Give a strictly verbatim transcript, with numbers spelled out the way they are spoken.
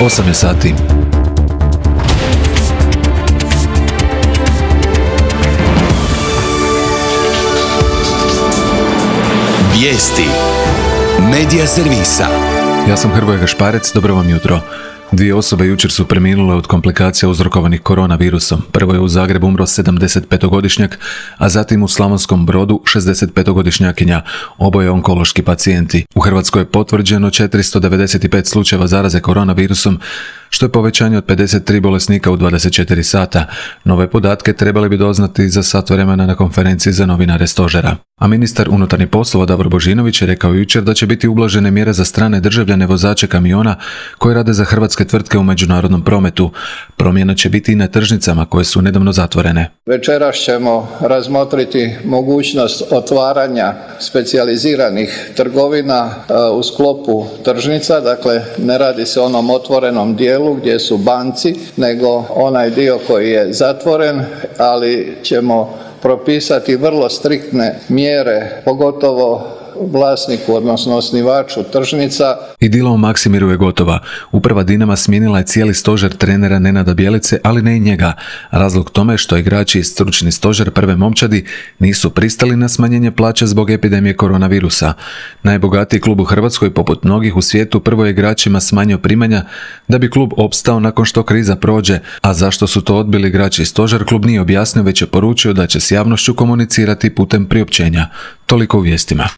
osam je sati. Vijesti Medija servisa. Ja sam Hrvoje Gašparec, dobro vam jutro. Dvije osobe jučer su preminule od komplikacija uzrokovanih koronavirusom. Prvo je u Zagrebu umro sedamdesetpetogodišnjak, a zatim u Slavonskom Brodu šezdesetpetogodišnjakinja, oboje onkološki pacijenti. U Hrvatskoj je potvrđeno četiristo devedeset pet slučajeva zaraze koronavirusom, što je povećanje od pedeset tri bolesnika u dvadeset četiri sata. Nove podatke trebali bi doznati za sat vremena na konferenciji za novinare stožera. A ministar unutarnjih poslova Davor Božinović je rekao jučer da će biti ublažene mjere za strane državljane vozače kamiona koji rade za hrvatske tvrtke u međunarodnom prometu. Promjena će biti i na tržnicama koje su nedavno zatvorene. Večeras ćemo razmotriti mogućnost otvaranja specijaliziranih trgovina u sklopu tržnica, dakle ne radi se o onom otvorenom dijelu gdje su banci, nego onaj dio koji je zatvoren, ali ćemo propisati vrlo striktne mjere, pogotovo vlasniku, odnosno osnivaču tržnica. Idila u Maksimiru je gotova. Uprava Dinama smijenila je cijeli stožer trenera Nenada Bjelice, ali ne i njega. Razlog tome je što igrači i stručni stožer prve momčadi nisu pristali na smanjenje plaća zbog epidemije koronavirusa. Najbogatiji klub u Hrvatskoj, poput mnogih u svijetu, prvo je igračima smanjio primanja da bi klub opstao nakon što kriza prođe, a zašto su to odbili igrači i stožer, klub nije objasnio, već je poručio da će s javnošću komunicirati putem priopćenja. Toliko u vijestima.